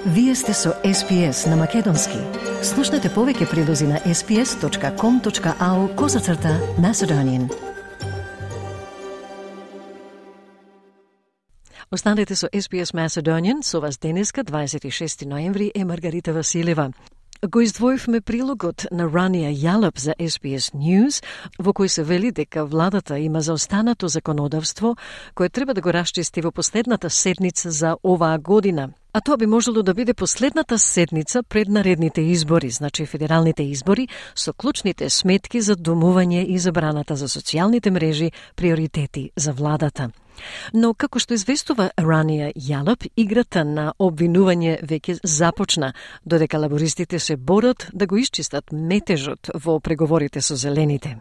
Вие сте со SPS на Македонски. Слушнете повеќе прилози на sps.com.au/Macedonian. Останете со SPS Macedonian, со вас денеска, 26 ноември, е Маргарита Василева. Го издвоивме прилогот на Рания Ялап за SPS News, во кој се вели дека владата има заостанато законодавство кое треба да го расчисти во последната седница за оваа година. А тоа би можело да биде последната седница пред наредните избори, значи федералните избори, со клучните сметки за домување и забраната за социјалните мрежи, приоритети за владата. Но како што известува Рания Ялап, играта на обвинување веќе започна, додека лабористите се борат да го исчистат метежот во преговорите со зелените.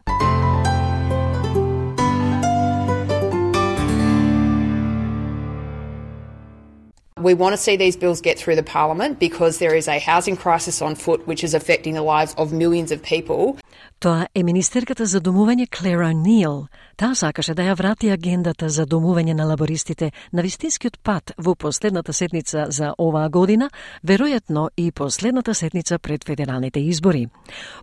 We want to see these bills get through the Parliament because there is a housing crisis on foot which is affecting the lives of millions of people. Тоа е министерката за домување Клер О'Нил. Таа сакаше да ја врати агендата за домување на лабористите на вистинскиот пат во последната седница за оваа година, веројатно и последната седница пред федералните избори.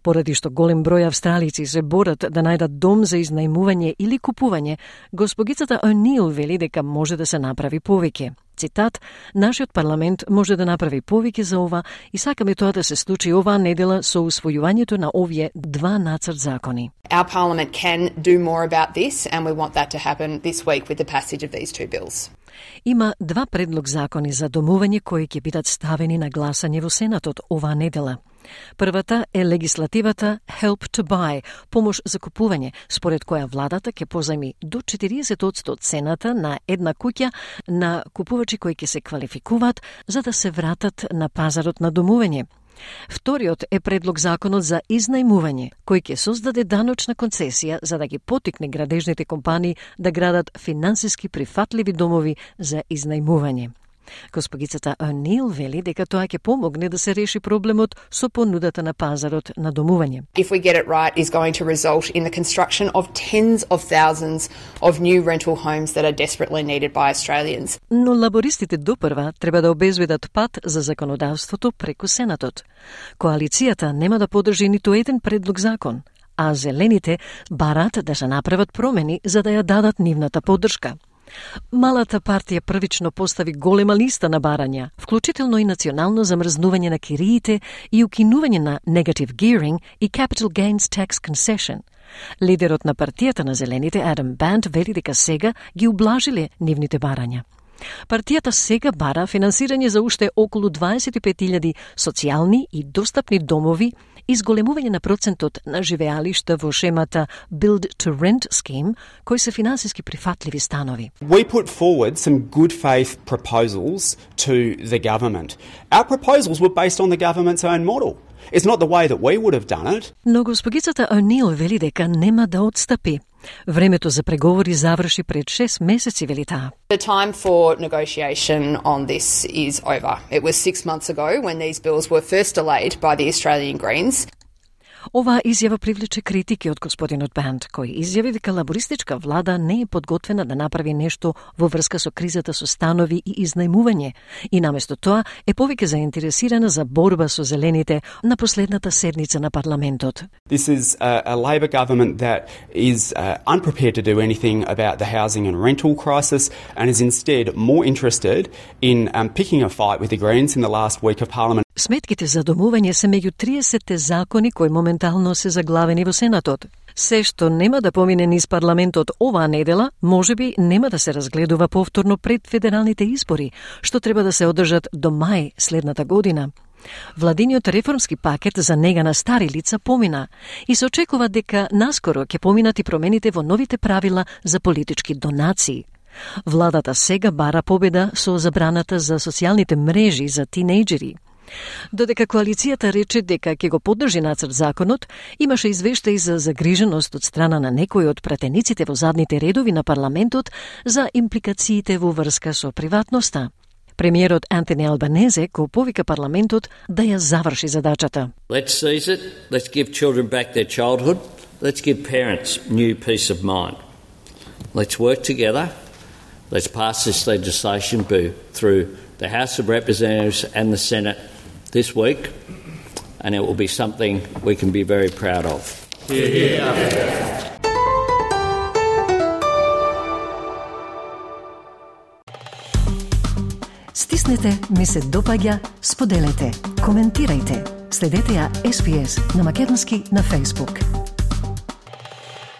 Поради што голем број австралици се борат да најдат дом за изнајмување или купување, госпогицата О'Нил вели дека може да се направи повеќе. Цитат: "Нашиот парламент може да направи повеќе за ова и сакаме тоа да се случи оваа недела со усвојувањето на овие два нацрт закони." Our parliament can do more about this and we want that to happen this week with the passage of these two bills. Има два предлог закони за домување кои ќе бидат ставени на гласање во Сенатот оваа недела. Првата е легислативата Help to Buy, помош за купување, според која владата ќе позајми до 40% од цената на една куќа на купувачи кои ќе се квалификуваат за да се вратат на пазарот на домување. Вториот е предлог законот за изнајмување, кој ќе создаде даночна концесија за да ги потикне градежните компании да градат финансиски прифатливи домови за изнајмување. Госпогицата О'Нил вели дека тоа ќе помогне да се реши проблемот со понудата на пазарот на домување. If we get it right, is going to result in the construction of tens of thousands of new rental homes that are desperately needed by Australians. Но лабористите допрва треба да обезбедат пат за законодавството преку Сенатот. Коалицијата нема да подржи ниту еден предлог закон, а зелените барат да се направат промени за да ја дадат нивната поддршка. Малата партија првично постави голема листа на барања, вклучително и национално замрзнување на кириите и укинување на negative gearing и capital gains tax concession. Лидерот на партијата на зелените, Адам Бант, вели дека сега ги ублажиле нивните барања. Партијата сега бара финансирање за уште околу 25.000 социјални и достапни домови и зголемување на процентот на живеалишта во шемата Build to Rent scheme, кои се финансиски прифатливи станови. We put forward some good faith proposals to the government. Our proposals were based on the government's own model. It's not the way that we would have done it. Но госпогицата О'Нил вели дека нема да отстапи. Времето за преговори заврши пред 6 месеци, вели таа. The time for negotiation on this is over. It was 6 months ago when these bills were first delayed by the Australian Greens. Оваа изјава привлече критики од господинот Банд, кој изјави дека лабористичка влада не е подготвена да направи нешто во врска со кризата со станови и изнајмување и наместо тоа е повеќе заинтересирана за борба со зелените на последната седница на парламентот. This is a Labor government that is unprepared to do anything about the housing and rental crisis and is instead more interested in picking a fight with the Greens in the last week of Parliament. Сметките за домување се меѓу 30 закони кои моментално се заглавени во Сенатот. Се што нема да помине низ парламентот оваа недела, можеби нема да се разгледува повторно пред федералните избори, што треба да се одржат до мај следната година. Владиниот реформски пакет за нега на стари лица помина и се очекува дека наскоро ќе поминат и промените во новите правила за политички донации. Владата сега бара победа со забраната за социјалните мрежи за тинејџери. Додека коалицијата рече дека ќе го поддржи нацрт законот, имаше извештаи за загриженост од страна на некои од пратениците во задните редови на парламентот за импликациите во врска со приватноста. Премиерот Антони Албанезе го повика парламентот да ја заврши задачата. Let's seize it. Let's give children back their childhood. Let's give parents new peace of mind. Let's work together Let's pass this legislation through the House of Representatives and the Senate this week, and it will be something we can be very proud of. Стиснете, ми се допаѓа, споделете, коментирајте. Следете ја SPS на Македонски на Facebook.